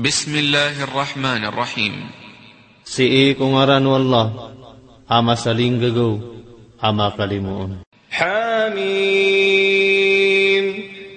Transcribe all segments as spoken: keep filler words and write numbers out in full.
Bismillahir Rahmanir Rahim. Sii ko ngaran o Allah, a masalinggagaw, a makalimoon. Hamim.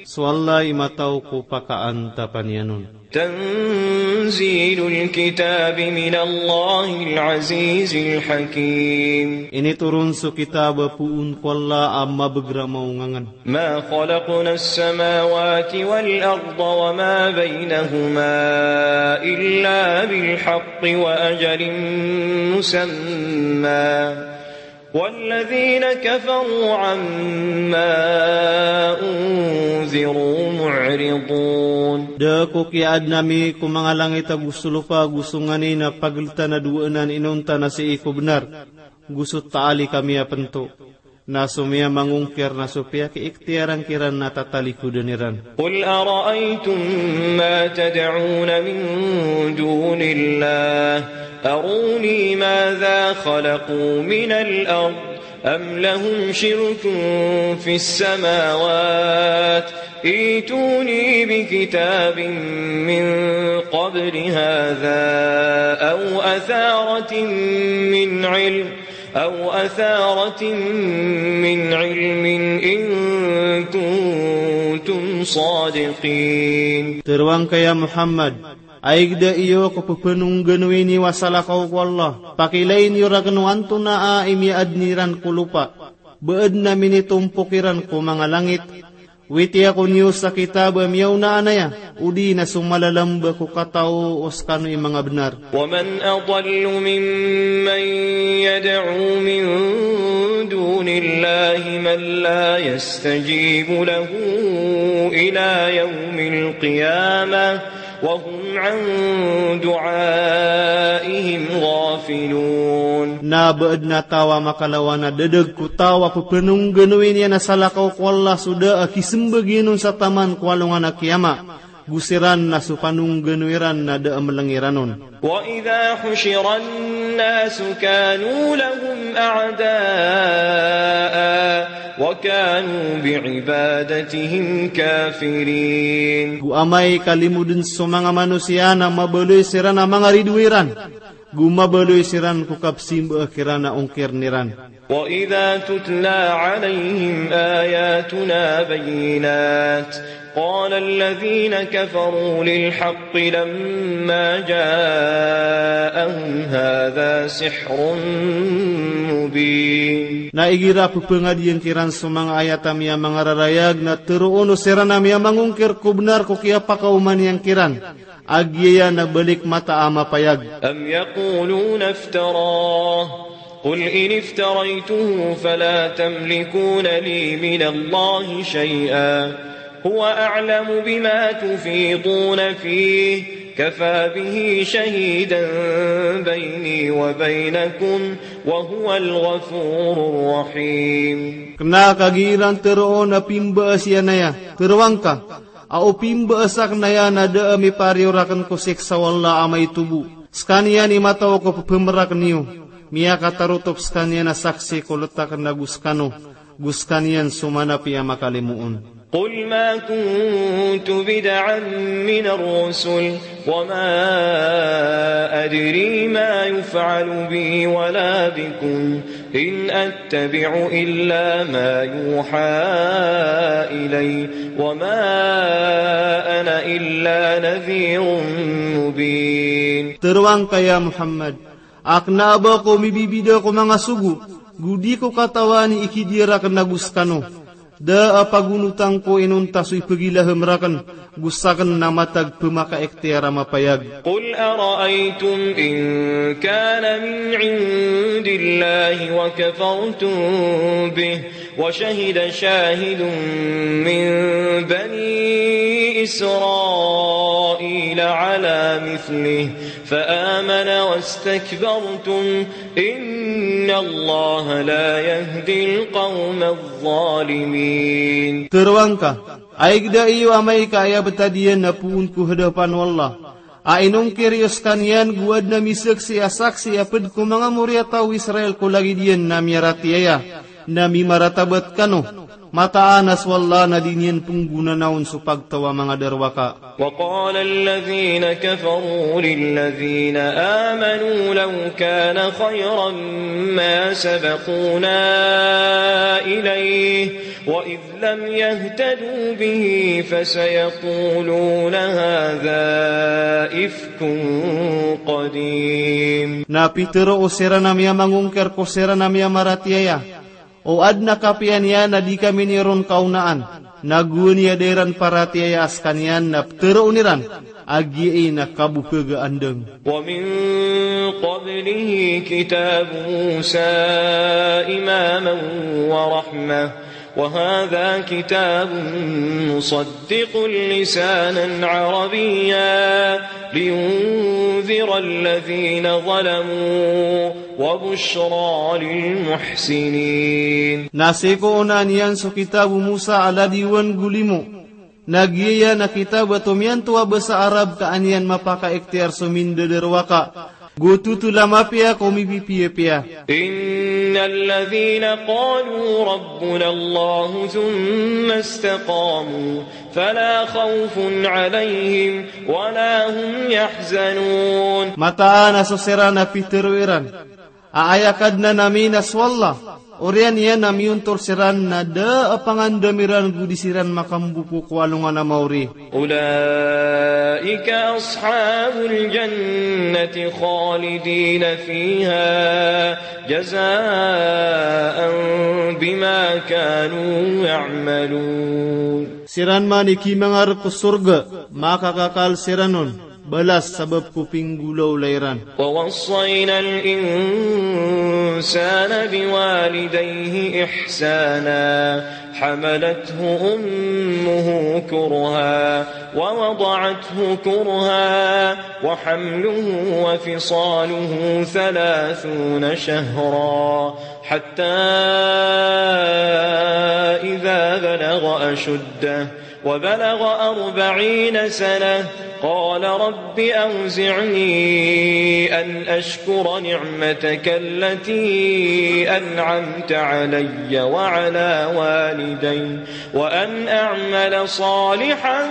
So Allah i mataw ko pakaantapan iyan on. Tanzilul kitabi minallahil azizil hakim. Initoron so kitab a poon ko Allah a mabegramaw ngangan. Ma khalaqnas samawati wal arda wa ma baynahuma illa bil haqqi wa ajalin musamma. Walladhina kafaru amma undhiru mu'ridun. Da ko kiyaadn ami ko manga langit ago so lopa ago so nganin a pagltan a dowa anan inonta na sii ko bnar, go so taalik ami a pnto. Na so miyamangongkir na so piyakiiktiyaran kiran na tatalikodan iran. Qul ara'aytum ma tad'una min dunillah, aruni madha khalaqu minal ard, am lahum shirkun fis samawat, ituni bi kitabin min qabli hadha aw atharatin min ilm, aw atharatin min ilmin in kuntum sadiqin. Tero angka ya Muhammad, a igda iyo ko pphanoganoi niyo a salakaw ko Allah, pakilayin iyo rakn o antonaa i miyaadn iran ko lopa, ba adn a minitompok iran ko manga langit, witiya ko niyo sa kitab a miyaona anaya, odi na so malalamba ko kataw o skano i manga bnar. Wa man adallu mimman yad'u min dunillahi man la yastajibu lahu ila yawmil qiyamah wa hum an du'aihim ghafilun. Na ba adn a taw a makalawan a dadag ko taw a pphanoganoi niyan a salakaw ko Allah so da a kismbag iyan on sa taman ko alongan a kiyama, go siran na so panoganoi ran na da a mlng iran on. Wa idha hushiran nasu kanu lahum a'da'a wa kanu bi ibadatihim kafirin. Go amay ka limoden so manga manosiya na mabaloy siran a manga ridoay ran, go mabaloy siran ko kapsimba kiran a ongkir iran. Wa idha tutla alayhim ayatuna bayyinat, qala alladhina kafaru lil haqqi lamma ja'ahum hadha sihrun mubin. Na igira pphangadiyan kiran so manga ayat ami a manga rarayag na teroon o siran a miyamangongkir ko bnar ko kiyapakaoma niyan kiran, a giyaya na balik mata a mapayag. Am yaquluna iftarah, qul in iftaraytuhu fala tamlikuna li minallahi shay'a, huwa a'lamu bima tufiduna fih, kafa bihi shahidan bayni wa baynakum, wa huwal ghafurur rahim. Kna ka giiran teroon a pimbaas iyan aya, tero angka, a o pimbaas akn aya na da a mipariyo rakn ko siksa o Allah a maito bo. Skaniyan i mataw ko pphmrakn iyo, miyakatarotop skaniyan a saksi ko ltak na go skano, go skaniyan so manapiya a makalimoon. Qul ma kuntu bid'an minar rusul, wa ma adri ma yuf'alu bi wa la bikum, in attabi'u illa ma yuha ilay, wa ma ana illa nadhirun mubin. Tero angka ya Muhammad, a kna a ba ko mibibida ko manga sogo, go di ko katawan i ikidiya rakn ago skano. Da a pagonotan ko inonta so ipagilaham rakn, go sakn na matag pmakaiktiar a mapayag. Qul ara'aytum in kana min indillahi wa kafartum bih, wa shahida shahidun min bani Israila ala mithlih, fa amana wastakbartum, innallaha la yahdil qawmadh dhalimin. Tero angka, a igda iyo amay ka aya btad iyan na poon ko hadapan o Allah, a inongkir iyo skaniyan go adn a misaksi a saksi a pd ko manga moriyataw o Israil ko lagid iyan na miyaratiyaya, na mimaratabat kano, Mataan a so Allah na di niyan pnggonanaon so pagtaw a manga darowaka. وقال الذين كفروا للذين آمنوا لو كان خيرا ما سبقونا إليه وإذ لم يهتدوا به فسيقولون هذا إفك قديم. Na pitharo o siran a miyamangongkir ko siran a miyamaratiyaya, o adn a kapiya niyan na di kami niyo ron kaonaan, na gowani a da iran paratiyaya a skaniyan na ptharoon iran a giyai na kabokhag a andang. ومن قبله كتاب موسى إماما ورحمة وهذا كتاب مصدق لسانا عربيا لينذر الذين ظلموا وبشرى للمحسنين. Na sii ko onaan iyan so kitab o Musa a ladiwan go limo. Na giyaya na kitab a tomiyanto a basa Arab ka an iyan mapakaikhtiyar so mindadarowaka. Go totol a mapiya ko mipipiyapiya. إن الذين قالوا ربنا الله ثم استقاموا فلا خوف عليهم ولا هم يحزنون. Mataan a so siran a pitharo iran a aya Kadnan ami na so Allah, oriyan iyan a miyontol siran na da a pangandam iran go di siran makamboko ko alongan a maori. أولئك أصحاب الجنة خالدين فيها جزاء بما كانوا يعملون. Siran man i kimangarg ko sorga, makakakal siran on, balas sabap ko pinggolawla iran. ووصينا الإنسان بوالديه إحسانا حملته أمه كرها ووضعته كرها وحمله وفصاله ثلاثون شهرا حتى إذا بلغ أشده وبلغ أربعين سنة قال رب أوزعني أن أشكر نعمتك التي أنعمت علي وعلى والدي وأن أعمل صالحا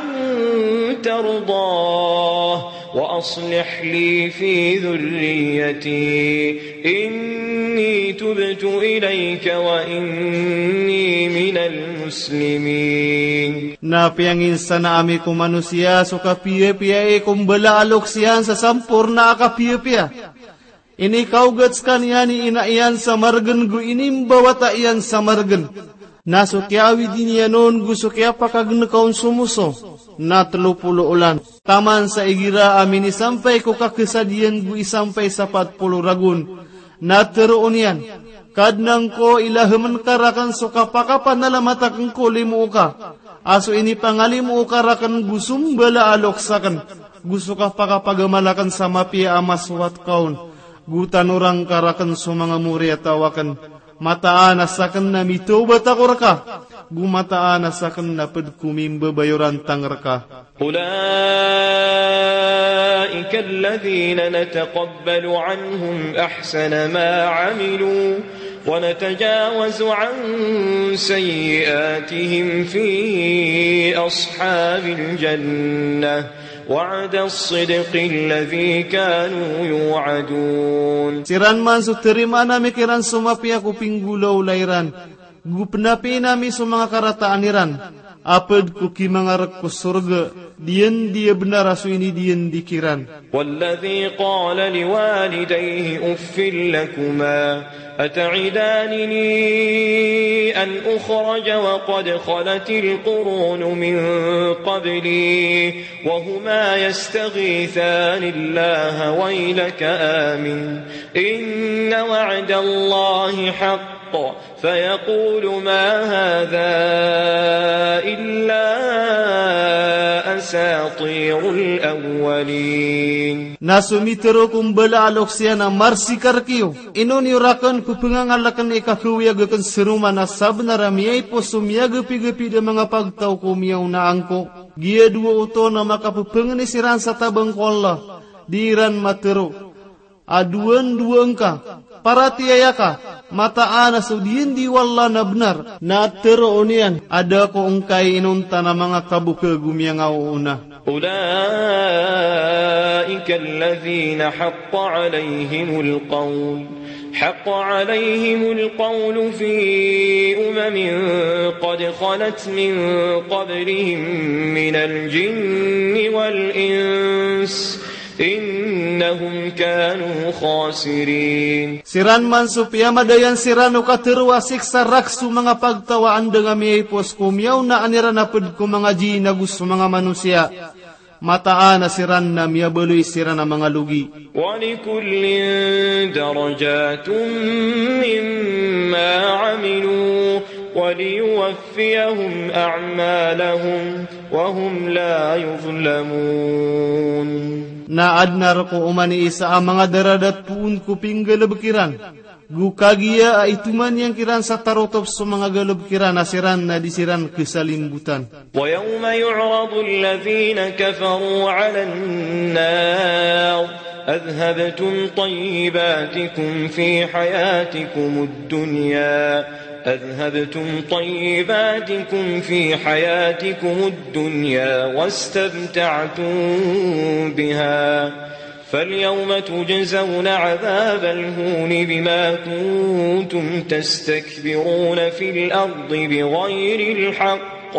ترضاه وأصلح لي في ذريتي إني تبت إليك وإني من المسلمين. Na piyanginsana ami ko manosiya so kapiyapiya i ko mbala a loks iyan sa samporna a kapiyapiya. Inikaogat skaniyan i ina iyan sa margn go inimbawata iyan sa margn. Na so kiyaawidi niyan on go so kiyapakagnka on so moso na tlo polo olan. Taman sa igira a minisampay ko kakasad iyan go isampay sa pat polo ragon. Na tharoon iyan, Kadnan ko, ilahmn ka rakn so kapakapanalamat akn ko limo oka a so inipangalimo oka rakn go so mbala a loks akn, go so kapakapagamal akn sa mapiya a masowat ka on, go tanoran ka rakn so manga moriyataw akn. Mataan a sakn na mitawbat ako rka, go mataan a sakn na pd ko mimbabayorantang rka. أولئك الذين نتقبل عنهم أحسن ما عملوا ونتجاوز عن سيئاتهم في أصحاب الجنة وعد الصدق الذي كانوا يوعدون. Siran man so tarimaan ami kiran so mapiya ko pinggolawla iran, go pnapiin ami so manga karataan iran a pd ko kimangarg ko sorga, diyandi a bnar a so inidiyandi kiran. والذي قال لوالديه أف لكما أتعدانني أن أخرج وقد خلت القرون من قبلي وهما يستغيثان الله ويلك آمن إن وعد الله حق فيقول ما هذا إلا أساطير الأولين. Na so mitharo ko mbala a loks iyan a marsi ka rkiyo, ino niyo rakn pphangangalakan i kakawiyag akn sa roman a sabnar a miyaipos so miyagapigapid a manga pagtaw ko miyaona angko. Giya dowa oto na makapphangni siran sa tabang ko Allah, di iran matharo a dowandowa ngka, paratiyaya ka, Mataan a so diyandi o Allah na bnar, na tharoon iyan a da ko ngkai inonta na manga kabokag o miyangaoona. أولئك الذين حق عليهم القول، حق عليهم القول في أمم قد خلت من قبلهم من الجن والإنس إنهم كانوا خاسرين. Siran man so piyamadayan siran o katharo a siksa rakhs o manga pagtaw a andang a miyaipos ko miyaonaan iran a pd ko manga jinn ago so manga manosiya. Mataan a siran na miyabaloy siran a manga logi. ولكل درجات مما عملوا وليوفيهم أعمالهم وهم لا يظلمون. Na adn a rk o oman i isa a manga daradat poon ko pinggalbk iran. Go kagiya a itoman iyan kiran sa tarotop so manga galbk iran a siran na di siran khasalimbotan. ويوم يعرض الذين كفروا على النار أذهبتم طيباتكم في حياتكم الدنيا أذهبتم طيباتكم في حياتكم الدنيا واستمتعتم بها فاليوم تجزون عذاب الهون بما كنتم تستكبرون في الأرض بغير الحق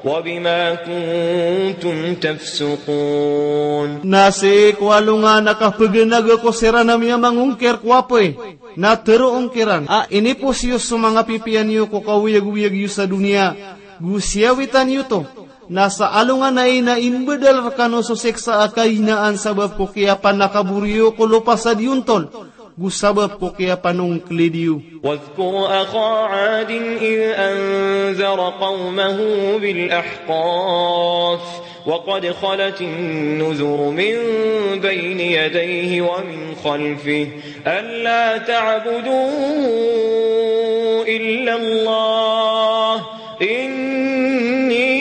وبما كنتم تفسقون. Na sii ko alongan a kapganag ako siran a miyamangongkir ko apoy, na tharoon kiran a inipos iyo so manga pipiya niyo ko kaoyagoyag iyo sa doniya, go siyawitan iyo oto. Na sa alongan ai na imbadal rkano so siksa a kahinaan sabap ko kiyapanakabor iyo ko lopa sa diyontol, go sabap ko kiyapanongklid iyo. واذكر أخا عاد إذ أنذر قومه بالأحقاف وقد خلت النذر من بين يديه ومن خلفه ألا تعبدوا إلا الله إني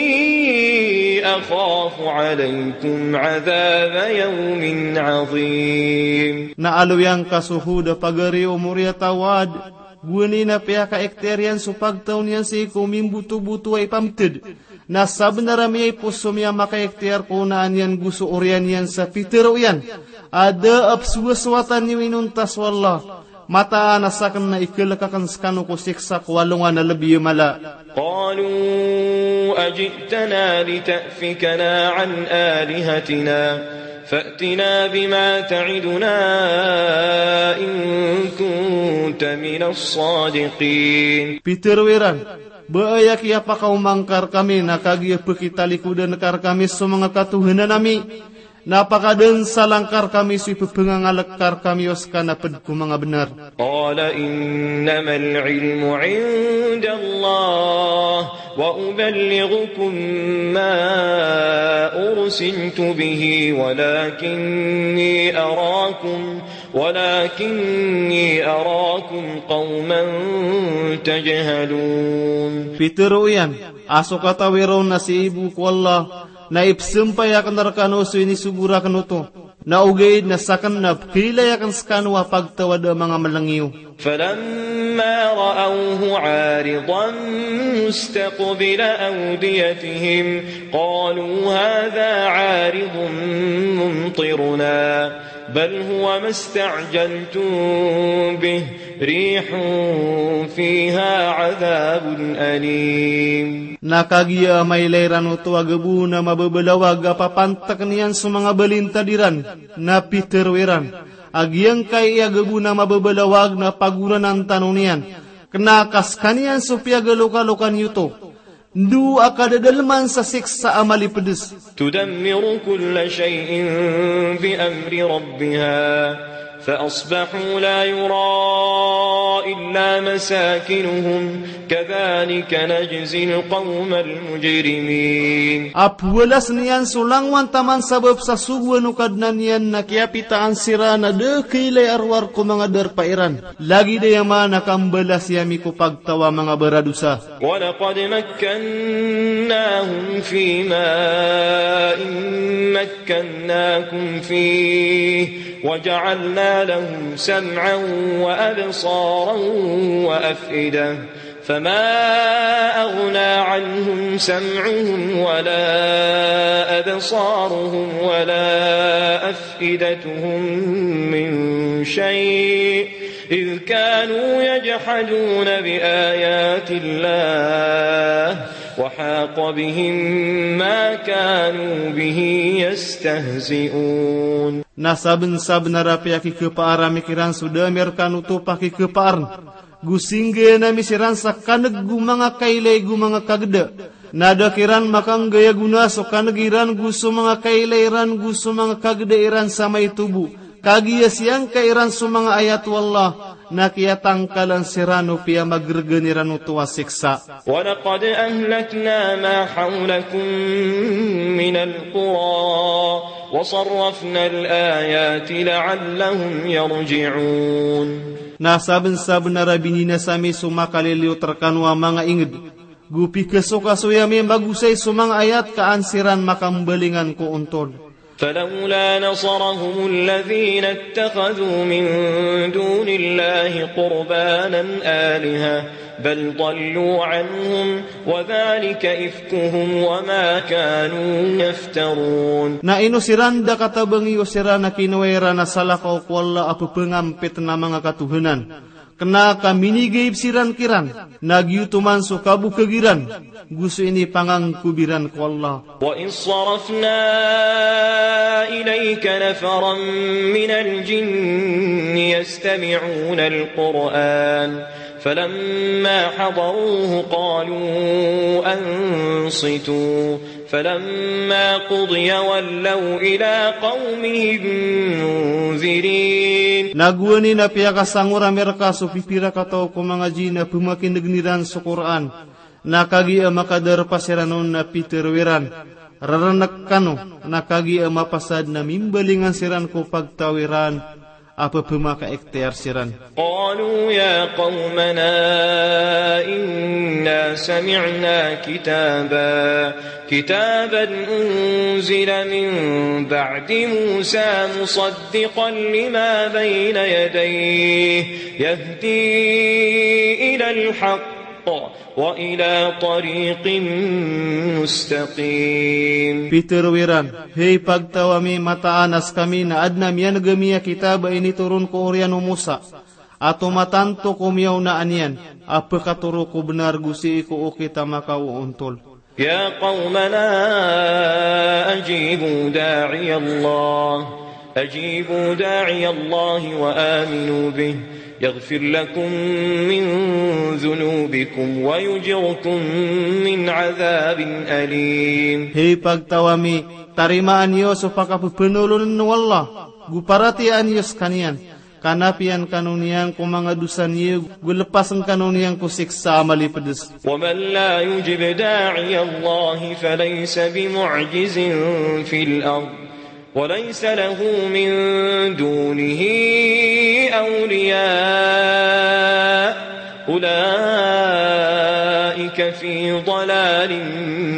أخاف عليكم عذاب يوم عظيم. Na aloyangka so Hud a pagari o moriyat a Wad, gowani na piyakaikhtiyar iyan so pagtaw niyan sii ko mimbotoboto a ipamtd. Na sabnar a miyaipos so miyamakaikhtiyar ko onaan iyan go so oriyan iyan sa pitharo iyan a da a pzowasowatan iyo inonta so Allah. Mataan a sakn na ikhalk akn skano ko siksa ko alongan a lbi a mala. قالوا أجئتنا لتأفكنا عن آلهتنا فأتنا بما تعدنا إن كنت من الصادقين. Pitharo iran, ba aya kiyapakaoma ngka rkami na kagiya pkhitalikodan ka rkami so manga katohanan ami, na pakadansalan ka rkami so ipphangangalakan ka rkami o ska na pd ko manga bnar. قال إنما العلم عند الله وأبلغكم ما أرسلت به ولكني أراكم ولكني أراكم قوما تجهلون. Pitharo iyan a so katawi ron na sii bo ko Allah, na ipzampay akn rkano so inisogo rakn oto, na ogaid na sakn na pkhailay akn skano a pagtaw a da a manga mlng iyo. فلما رأوه عارضا مستقبل أوديتهم قالوا هذا عارض ممطرنا بل هو ما استعجلتم به ريح فيها عذاب أليم. Na kagiya a mailay iran oto a gabo na mababalawag a papantkn iyan so manga balintad iran, na pitharo iran a giyangkai a gabo na mababalawag na pagoranan tano niyan, kna ka skaniyan so piyagalokalokan iyo oto. Ndo a kadadalman sa siksa a malipds. تدمر كل شيء بأمر ربها فأصبحوا لا يرى إلا مساكنهم كذلك نجزي القوم المجرمين. A pwalasn iyan so langowan taman sabap sa sogoan o Kadnan iyan na kiyapitaan siran a da a khailay a rowar ko manga darpa iran. Lagid aya man a kambalasi ami ko pagtaw a manga baradosa. ولقد مكناهم في ماء مكناكم فيه وجعلنا لهم سمعا وأبصارا وأفئدة، فما أغنى عنهم سمعهم ولا أبصارهم ولا أفئدتهم من شيء، إذ كانوا يجحدون بآيات الله، وحاق بهم ما كانوا به يستهزئون. Na sabnsabnar a piyakikhapaar ami kiran so da ami rkano oto pakikhapaarn, go singgayaan ami siran sa kan'g o manga kailay go manga kagda. Na da kiran makanggay a gona so kan'g iran go so manga kailay iran go so manga kagda iran sa maito bo, kagiya siyangka iran so manga ayat o Allah, na kiyatangkalan siran o piyamagrgan iran oto a siksa. ولقد أهلكنا ما حولكم من القرى وصرفنا الآيات لعلهم يرجعون. Na sabnsabnar a bininasa ami so makaliliyot rkano a manga ingd, go pikasokasoy ami magosay so manga ayat ka an siran makambalingan ko ontol. فلولا نصرهم الذين اتخذوا من دون الله قربانا آلهة بل ضلوا عنهم وذلك إفكهم وما كانوا يفترون. Na ino siran da katabangi o siran a kinowa iran a salakaw ko Allah a ppangampit na manga katohanan, kna ka minigaib siran kiran, na giyoto man so kabokag iran go so inipangangkob iran ko Allah. وإذ صرفنا إليك نفرا من الجن يستمعون القرآن فلما حضروه قالوا أنصتوا فلما قضي ولوا إلى قومهم منذرين. Na gowani na piyakasangor ami rka so pipira kataw ko manga jinn a pmakin'gn iran so Qur'an, na kagiya makadarpa siran on na pitharo iran, rarnk kano, na kagiya mapasad na mimbalingan siran ko pagtaw iran a pphamakaikhtiyar siran. قالوا يا قومنا إنا سمعنا كتابا، كتابا أنزل من بعد موسى مصدقا لما بين يديه يهدي إلى الحق وإلى طريق مستقيم. Pitharo iran, hay pagtaw ami, mataan a skami na adn a miyan'g ami a kitab a initoron ko oriyan o Musa, a tomatanto ko miyaonaan iyan, a pkatoro ko bnar go sii ko okit a makaoontol. يا قومنا أجيبوا داعي الله، أجيبوا داعي الله وآمنوا به يغفر لكم من ذنوبكم ويجركم من عذاب أليم. Hay pagtaw ami, tarimaan iyo so pakapphnolon o Allah, go paratiyayaan iyo skaniyan, ka napiyan kano niyan ko manga dosa niyo, go lpasn kano niyan ko siksa a malipds. ومن لا يجب داعي الله فليس بمعجز في الأرض وليس له من دونه أولياء أولئك في ضلال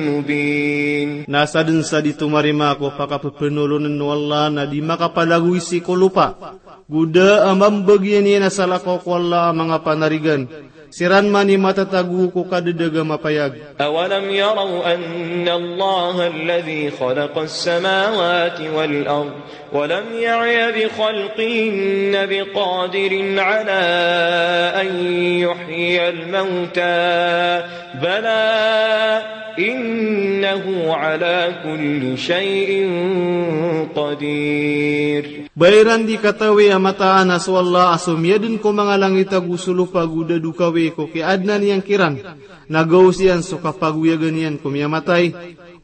مبين. Na sadn sa di tomarima ko pakapphnolon o Allah na di makapalagoy sii ko lopa, go da a mambagian iyan a salakaw ko Allah a manga panarigan. Siran man i matatago ko kadadag a mapayag. أولم يروا أن الله الذي خلق السماوات والأرض ولم يعي بخلقهن بقادر على أن يحيي الموتى بلى إنه على كل شيء قدير. Ba iran di katawi a mataan a so Allah a so miyadn ko manga langit ago so lopa go da dokawi ko kiyaadnan iyan kiran, na gaos iyan so kapagoyagan iyan ko miyamatay.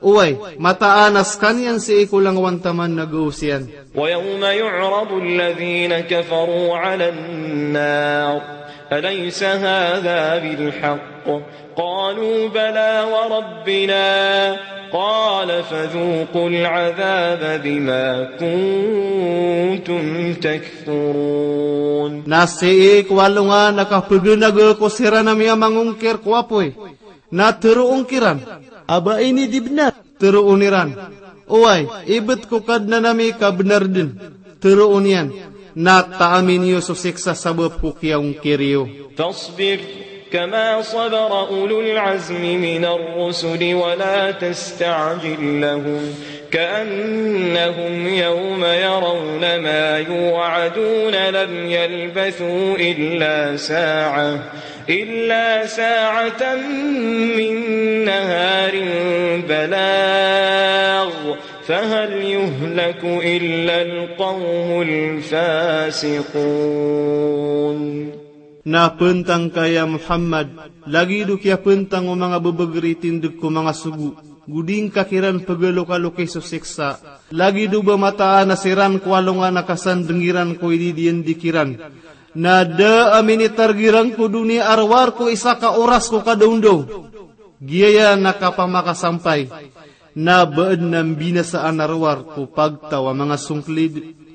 Oway, mataan a skaniyan sii ko langowan taman na gaos iyan. ويوم يعرض الذين كفروا على النار أليس هذا بالحق قالوا بلى وربنا قال فذوقوا العذاب بما كنتم تكفرون. Na sii ko alongan a kapgnaga ko siran a miyamangongkir ko apoy, na tharoon kiran a ba ini di bnar. Tharoon iran, oway, ibt ko Kadnan ami ka bnar dn. Tharoon iyan, Na taamin iyo so siksa sabap ko kiyaongkir iyo. فاصبر كما صبر أولو العزم من الرسل ولا تستعجل لهم كأنهم يوم يرون ما يوعدون لم يلبثوا إلا ساعة، إلا ساعة من نهار بلاغ، فهل يهلك إلا القوم الفاسقون. Na pantang ka ya Muhammad, lagid o kiyapantang o manga babagr i tindg ko manga sogo, go di ngka kiran pagalokalokay so siksa, lagid o ba mataan a siran ko alongan a kasandng iran ko ididiyandi kiran. Na da a minitarg iran ko doniya a rowar ko isa ka oras ko kadaondaw. Giyaya na kapamakasampay, na ba adn a mbinasaan a rowar ko pagtaw a manga songklid.